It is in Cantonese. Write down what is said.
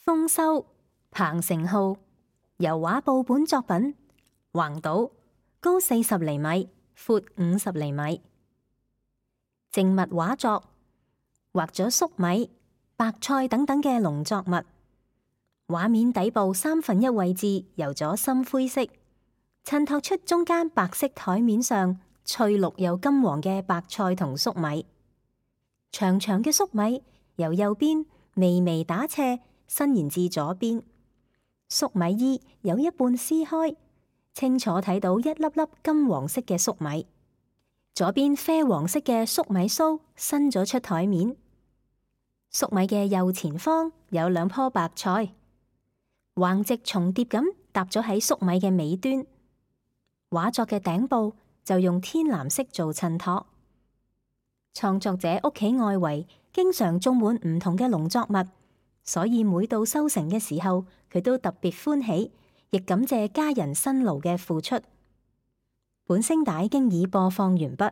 豐收，彭成浩，油畫布本作品，橫島，高40厘米，闊50厘米。靜物畫作，畫咗粟米、白菜等等嘅農作物。畫面底部1/3位置油咗深灰色，襯托出中間白色台面上翠綠又金黃嘅白菜同粟米。長長嘅粟米由右邊微微打斜伸延至左邊，粟米衣有一半撕開，清楚睇到一粒粒金黃色嘅粟米。左邊啡黃色嘅粟米鬚伸咗出台面，粟米嘅右前方有2棵白菜，橫直重疊咁搭咗喺粟米嘅尾端。畫作嘅頂部就用天藍色做襯托。創作者屋企外圍經常種滿唔同嘅農作物，所以每到收成嘅時候，佢都特別歡喜，亦感謝家人辛勞嘅付出。本聲帶經已播放完畢。